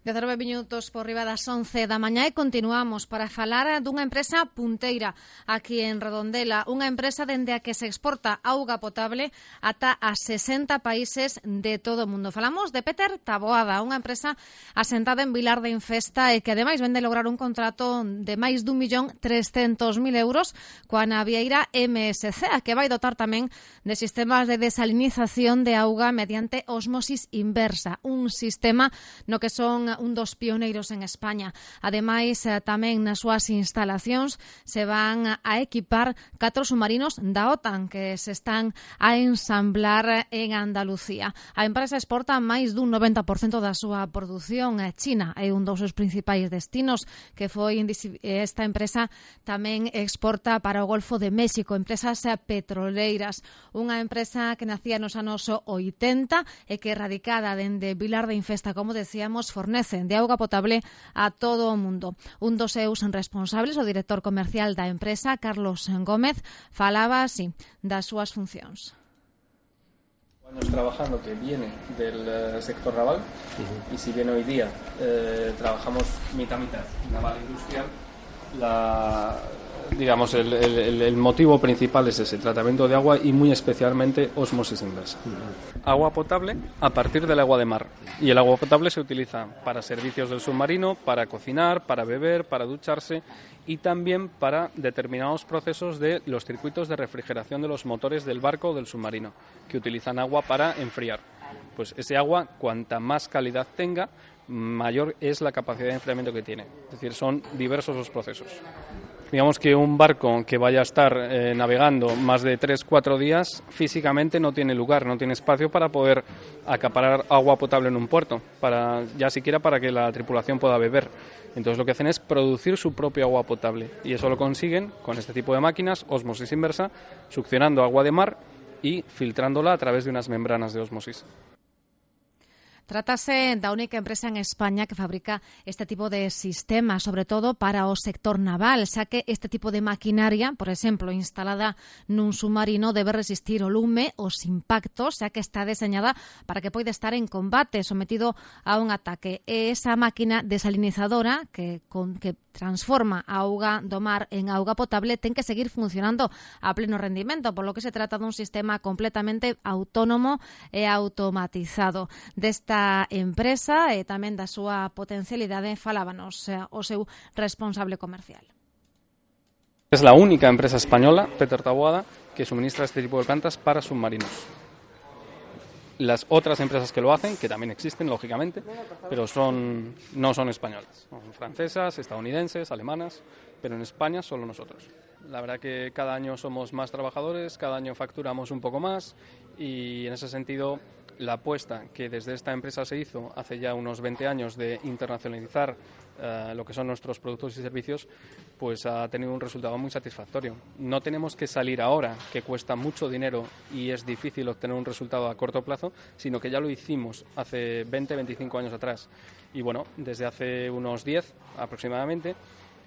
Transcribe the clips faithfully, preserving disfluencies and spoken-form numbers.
dezanove minutos por riba das once da mañá e continuamos para falar dunha empresa punteira aquí en Redondela, unha empresa dende a que se exporta auga potable ata a sesenta países de todo o mundo. Falamos de Peter Taboada, unha empresa asentada en Vilar de Infesta e que ademais vende lograr un contrato de máis dun millón trescentos mil euros coa navieira M S C, a que vai dotar tamén de sistemas de desalinización de auga mediante osmosis inversa, un sistema no que son un dos pioneiros en España. Ademais, tamén nas súas instalacións se van a equipar catro submarinos da OTAN que se están a ensamblar en Andalucía. A empresa exporta máis dun noventa por cento da súa produción. China é un dos seus principais destinos, que foi esta empresa tamén exporta para o Golfo de México, empresas petroleiras. Unha empresa que nacía nos anos oitenta e que radicada dende Vilar de Infesta, como decíamos, fornece de auga potable a todo o mundo. Un dos seus responsables, o director comercial da empresa, Carlos Gómez, falaba así das súas funcións. Años trabajando que viene del uh, sector naval uh-huh. y si bien hoy día eh, trabajamos mitad mitad naval industrial, la digamos el, el, el motivo principal es ese tratamiento de agua y muy especialmente osmosis inversa. Uh-huh. Agua potable a partir del agua de mar, y el agua potable se utiliza para servicios del submarino, para cocinar, para beber, para ducharse y también para determinados procesos de los circuitos de refrigeración de los motores del barco o del submarino, que utilizan agua para enfriar. Pues ese agua, cuanta más calidad tenga, mayor es la capacidad de enfriamiento que tiene. Es decir, son diversos los procesos. Digamos que un barco que vaya a estar eh, navegando más de tres cuatro días, físicamente no tiene lugar, no tiene espacio para poder acaparar agua potable en un puerto, para ya siquiera para que la tripulación pueda beber. Entonces lo que hacen es producir su propio agua potable, y eso lo consiguen con este tipo de máquinas, osmosis inversa, succionando agua de mar y filtrándola a través de unas membranas de osmosis. Trátase da única empresa en España que fabrica este tipo de sistemas, sobre todo para o sector naval, xa que este tipo de maquinaria, por exemplo, instalada nun submarino, debe resistir o lume, os impactos, xa que está deseñada para que poida estar en combate, sometido a un ataque. E esa máquina desalinizadora que, con, que transforma a auga do mar en auga potable ten que seguir funcionando a pleno rendimento, por lo que se trata dun sistema completamente autónomo e automatizado. Desta empresa e tamén da súa potencialidade falábanos o seu responsable comercial. Es la única empresa española, Peter Taboada, que suministra este tipo de plantas para submarinos. Las otras empresas que lo hacen, que también existen, lógicamente, pero son no son españolas. Son francesas, estadounidenses, alemanas, pero en España solo nosotros. La verdad que cada año somos más trabajadores, cada año facturamos un poco más y en ese sentido la apuesta que desde esta empresa se hizo hace ya unos veinte años de internacionalizar uh, lo que son nuestros productos y servicios, pues ha tenido un resultado muy satisfactorio. No tenemos que salir ahora, que cuesta mucho dinero y es difícil obtener un resultado a corto plazo, sino que ya lo hicimos hace veinte, veinticinco años atrás. Y bueno, desde hace unos diez aproximadamente,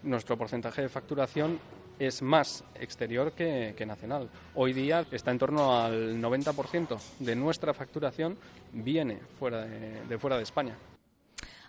nuestro porcentaje de facturación es más exterior que, que nacional. Hoy día está en torno al noventa por ciento de nuestra facturación viene fuera de, de fuera de España.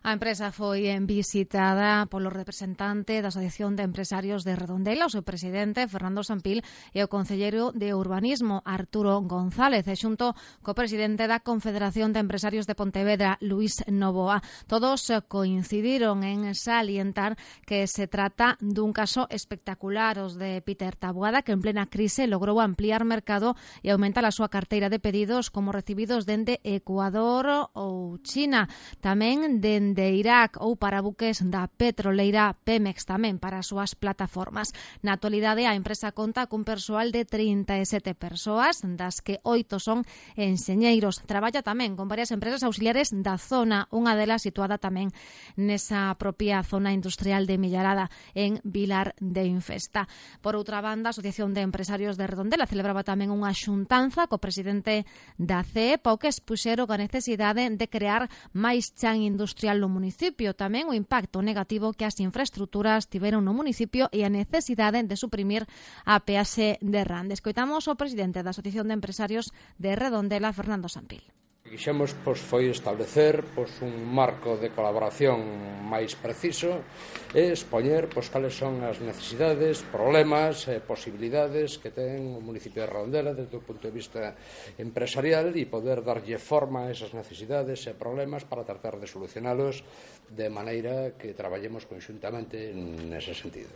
A empresa foi visitada polo representante da Asociación de Empresarios de Redondela, o seu presidente, Fernando Sampil, e o concelleiro de Urbanismo, Arturo González, e xunto co presidente da Confederación de Empresarios de Pontevedra, Luís Novoa. Todos coincidiron en salientar que se trata dun caso espectacular, os de Peter Taboada, que en plena crise logrou ampliar mercado e aumentar a súa carteira de pedidos como recibidos dende Ecuador ou China, tamén dende de Irak ou para buques da petroleira Pemex tamén para as súas plataformas. Na actualidade, a empresa conta cun persoal de trinta e sete persoas, das que oito son enxeñeiros. Traballa tamén con varias empresas auxiliares da zona, unha delas situada tamén nesa propia zona industrial de Millarada, en Vilar de Infesta. Por outra banda, a Asociación de Empresarios de Redondela celebraba tamén unha xuntanza co presidente da C E P, ao que expuxeron a necesidade de crear máis chan industrial no municipio, tamén o impacto negativo que as infraestructuras tiveron no municipio e a necesidade de suprimir a peaxe de Rande. Escoitamos o presidente da Asociación de Empresarios de Redondela, Fernando Sampil. O que quixemos pois, foi establecer pois, un marco de colaboración máis preciso e expoñer pois, cales son as necesidades, problemas e posibilidades que ten o municipio de Redondela desde o punto de vista empresarial e poder darlle forma a esas necesidades e problemas para tratar de solucionalos de maneira que traballemos conxuntamente nese sentido.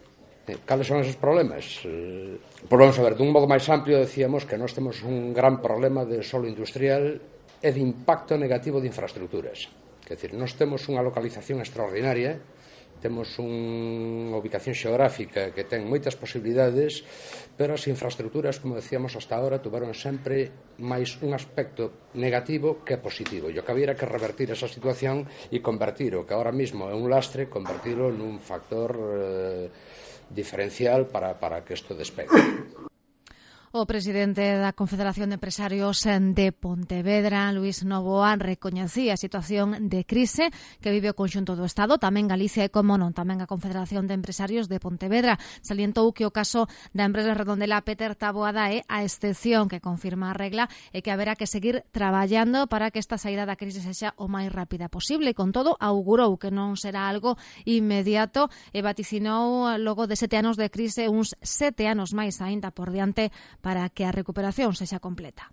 Cales son esos problemas? Eh, pois vamos a ver, dun modo máis amplio decíamos que nós temos un gran problema de solo industrial e de impacto negativo de infraestructuras. Quer dizer, nós temos unha localización extraordinaria, temos unha ubicación xeográfica que ten moitas posibilidades, pero as infraestructuras, como decíamos hasta ahora, tuveron sempre máis un aspecto negativo que positivo. E o que había que revertir esa situación e convertir o que ahora mismo é un lastre, convertirlo nun factor eh, diferencial para, para que isto despegue. O presidente da Confederación de Empresarios de Pontevedra, Luís Novoa, recoñecía a situación de crise que vive o conxunto do Estado, tamén Galicia e, como non, tamén a Confederación de Empresarios de Pontevedra. Salientou que o caso da empresa Redondela Peter Taboada é a excepción que confirma a regla e que haberá que seguir traballando para que esta saída da crise sexa o máis rápida posible. Con todo, augurou que non será algo inmediato e vaticinou logo de sete anos de crise uns sete anos máis aínda por diante para que a recuperación sexa completa.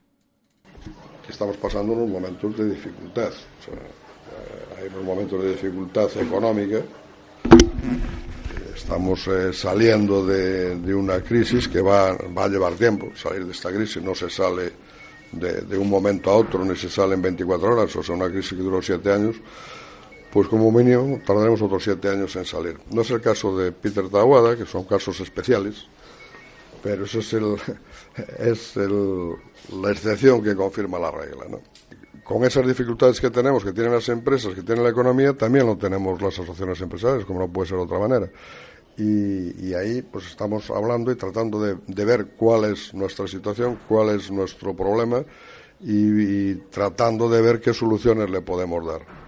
Estamos pasando unos momentos de dificultad. O sea, hay unos momentos de dificultad económica. Estamos eh, saliendo de, de una crisis que va, va a llevar tiempo. Salir de esta crisis no se sale de, de un momento a otro, ni se sale en veinticuatro horas. O sea, una crisis que duró siete años, pues como mínimo tardaremos otros siete años en salir. No es el caso de Peter Taboada, que son casos especiales, pero eso es, el, es el, la excepción que confirma la regla, ¿no? Con esas dificultades que tenemos, que tienen las empresas, que tiene la economía, también lo tenemos las asociaciones empresariales, como no puede ser de otra manera. Y, y ahí pues estamos hablando y tratando de, de ver cuál es nuestra situación, cuál es nuestro problema y, y tratando de ver qué soluciones le podemos dar.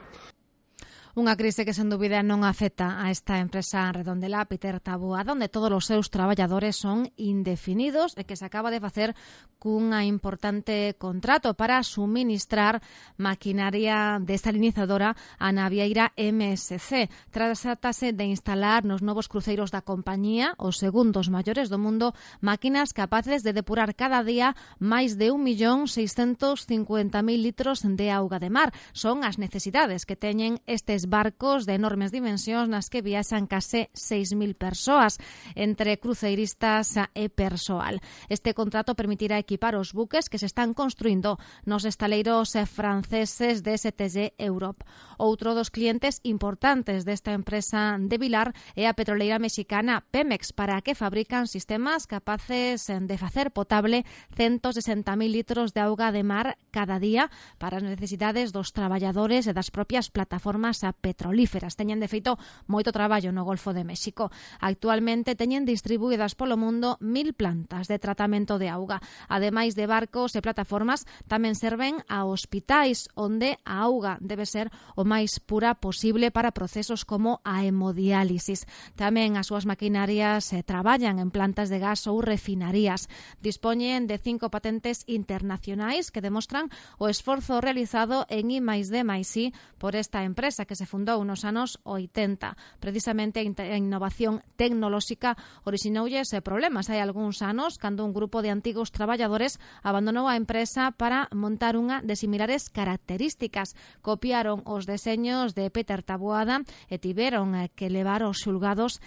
Unha crise que, sen dúbida, non afecta a esta empresa Redondela Peter Taboada, onde todos os seus traballadores son indefinidos e que se acaba de facer cunha importante contrato para suministrar maquinaria desalinizadora a navieira M S C. Trátase de instalar nos novos cruceiros da compañía, os segundos maiores do mundo, máquinas capaces de depurar cada día máis de un millón seiscentos cincuenta mil litros de auga de mar. Son as necesidades que teñen estes barcos de enormes dimensións nas que viaxan case seis mil persoas, entre cruceiristas e persoal. Este contrato permitirá equipar os buques que se están construindo nos estaleiros franceses de S T G Europe. Outro dos clientes importantes desta empresa de Vilar é a petroleira mexicana Pemex, para que fabrican sistemas capaces de facer potable ciento sesenta mil litros de auga de mar cada día para as necesidades dos traballadores e das propias plataformas petrolíferas. Teñen, de feito, moito traballo no Golfo de México. Actualmente teñen distribuídas polo mundo mil plantas de tratamento de auga. Ademais de barcos e plataformas, tamén serven a hospitais onde a auga debe ser o máis pura posible para procesos como a hemodiálisis. Tamén as súas maquinarias eh, traballan en plantas de gas ou refinarías. Dispoñen de cinco patentes internacionais que demostran o esforzo realizado en I máis D máis I por esta empresa que se fundou nos anos oitenta. Precisamente a innovación tecnolóxica orixinoulles problemas hai algúns anos cando un grupo de antigos traballadores abandonou a empresa para montar unha de similares características. Copiaron os deseños de Peter Taboada e tiveron que levar aos xulgados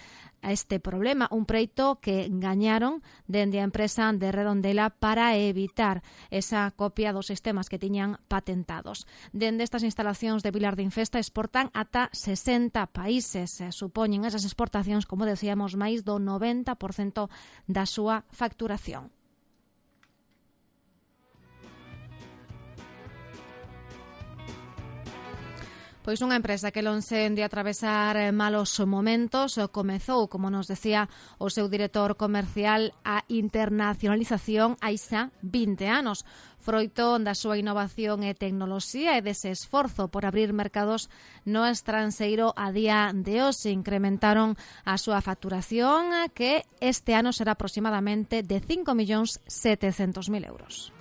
a este problema, un preito que gañaron dende a empresa de Redondela para evitar esa copia dos sistemas que tiñan patentados. Dende estas instalacións de Vilar de Infesta exportan ata sesenta países. Supoñen esas exportacións, como decíamos, máis do noventa por cento da súa facturación. Pois unha empresa que lonxe de atravesar malos momentos comezou, como nos decía o seu director comercial, a internacionalización hai xa vinte anos. Froito da súa innovación e tecnoloxía e dese esforzo por abrir mercados no estranxeiro a día de hoxe incrementaron a súa facturación, que este ano será aproximadamente de cinco millóns setecentos mil euros.